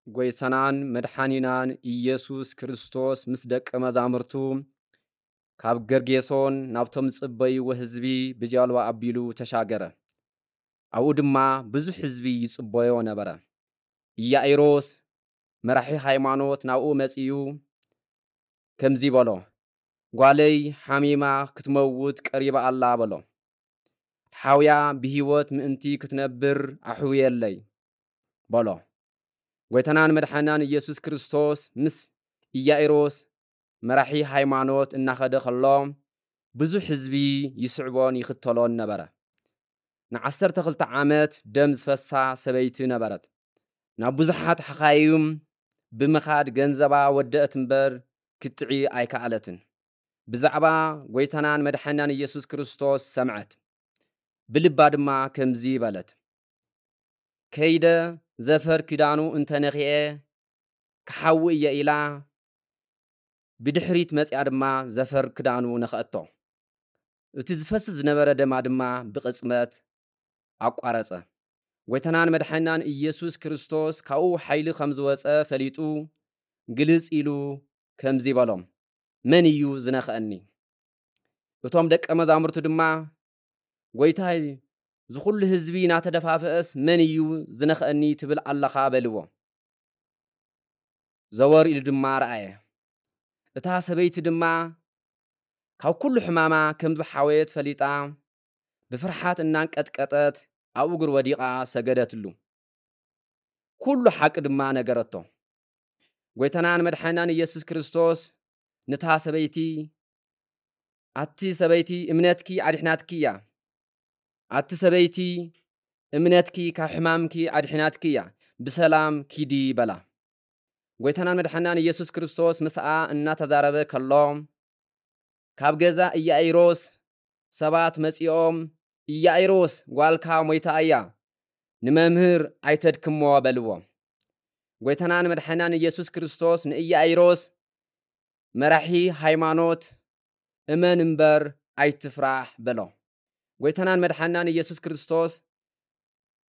ጎይታናን መድሓኒናን ኢየሱስ ክርስቶስ ምስ ደቀ መዛሙርቱ ካብ ገርጌሶን ናብቶም ዝጽበይዎ ህዝቢ ብጃልባ ኣቢሉ ተሻገረ። ኣብኡ ድማ ብዙሕ ህዝቢ ይጽበዮ ነበረ። ኢያኢሮስ መራሒ ሃይማኖት ናብኡ መጺኡ ከምዚ በሎ፣ "ጓለይ ሓሚማ ክትመውት ቀሪባ ኣላ" በሎ። "ሓውያ ብህይወት ምእንቲ ክትነብር ኣሕውየለይ" በሎ። ጎይታናን መድሓናን ኢየሱስ ክርስቶስ ምስ ኢያኢሮስ መራሒ ሃይማኖት እናኸደ ከሎ ብዙሕ ህዝቢ ይስዕቦን ይኽተሎን ነበረ። ንዓሰርተ ክልተ ዓመት ደም ዝፈሳ ሰበይቲ ነበረት። ናብ ብዙሓት ሓኻይም ብምኻድ ገንዘባ ወደአት እምበር ክትጥዒ ኣይከኣለትን። ብዛዕባ ጎይታናን መድሓናን ኢየሱስ ክርስቶስ ሰምዐት። ብልባ ድማ ከምዚ በለት፣ "ከይደ ዘፈር ክዳኑ እንተነኺኤ ክሓዊ እየ" ኢላ ብድሕሪት መጺኣ ድማ ዘፈር ክዳኑ ነኸአቶ። እቲ ዝፈስስ ዝነበረ ደማ ድማ ብቕጽበት ኣቋረጸ። ጎይታናን መድሓናን ኢየሱስ ክርስቶስ ካብኡ ሓይሊ ከም ዝወጸ ፈሊጡ ግልጽ ኢሉ ከምዚ በሎም፣ "መን እዩ ዝነኽአኒ?" እቶም ደቀ መዛሙርቱ ድማ፣ "ጎይታይ፣ ዝኹሉ ህዝቢ እናተደፋፍአስ መን እዩ ዝነኽአኒ ትብል ኣለኻ?" በልዎ። ዘወር ኢሉ ድማ ረኣየ። እታ ሰበይቲ ድማ ካብ ኩሉ ሕማማ ከም ዝሓወየት ፈሊጣ ብፍርሓት እናንቀጥቀጠት ኣብ እግሩ ወዲቓ ሰገደትሉ። ኩሉ ሓቂ ድማ ነገረቶ። ጎይታናን መድሓናን ኢየሱስ ክርስቶስ ንታ ሰበይቲ፣ "ኣቲ ሰበይቲ፣ እምነትኪ ኣድሒናትኪ እያ። ኣቲ ሰበይቲ፣ እምነትኪ ካብ ሕማምኪ ኣድሒናትኪ እያ። ብሰላም ኪዲ" በላ። ጎይታናን መድሓናን ኢየሱስ ክርስቶስ ምስኣ እናተዛረበ ከሎ፣ ካብ ገዛ ኢያኢሮስ ሰባት መጺኦም፣ "ኢያኢሮስ፣ ጓልካ ሞይታ እያ፣ ንመምህር ኣይተድክሞ" በልዎ። ጎይታናን መድሓናን ኢየሱስ ክርስቶስ ንኢያኢሮስ፣ "መራሒ ሃይማኖት፣ እመን እምበር ኣይትፍራሕ" በሎ። ጎይታናን መድሓናን ኢየሱስ ክርስቶስ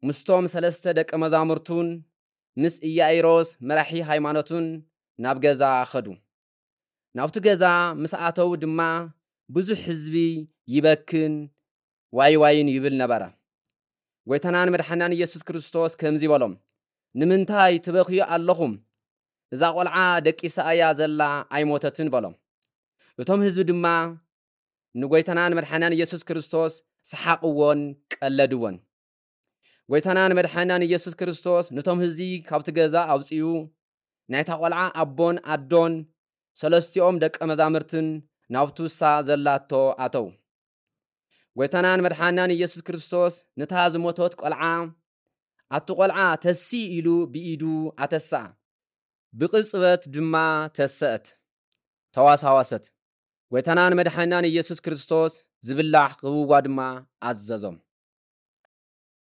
ምስቶም ሰለስተ ደቀ መዛሙርቱን ምስ ኢያኢሮስ መራሒ ሃይማኖቱን ናብ ገዛ ኸዱ። ናብቲ ገዛ ምስ ኣተዉ ድማ ብዙሕ ህዝቢ ይበክን ዋይ ዋይን ይብል ነበረ። ጎይታናን መድሓናን ኢየሱስ ክርስቶስ ከምዚ በሎም፣ "ንምንታይ ትበኽዩ ኣለኹም? እዛ ቖልዓ ደቂሳ እያ ዘላ፣ ኣይሞተትን" በሎም። እቶም ህዝቢ ድማ ንጎይታናን መድሓናን ኢየሱስ ክርስቶስ ሰሓቕዎን ቀለድዎን። ጎይታናን መድሓናን ኢየሱስ ክርስቶስ ነቶም ህዝቢ ካብቲ ገዛ ኣውጺኡ፣ ናይታ ቖልዓ ኣቦን ኣዶን ሰለስቲኦም ደቀ መዛምርትን ናብቲ ንሳ ዘላቶ ኣተው። ጎይታናን መድሓናን ኢየሱስ ክርስቶስ ነታ ዝሞተት ቖልዓ፣ ኣቲ ቖልዓ ተሲ ኢሉ ብኢዱ ኣተሳ። ብቕጽበት ድማ ተሰአት፣ ተዋሳዋሰት። ጎይታናን መድሓናን ኢየሱስ ክርስቶስ ዝብላዕ ክህብዋ ድማ ኣዘዞም።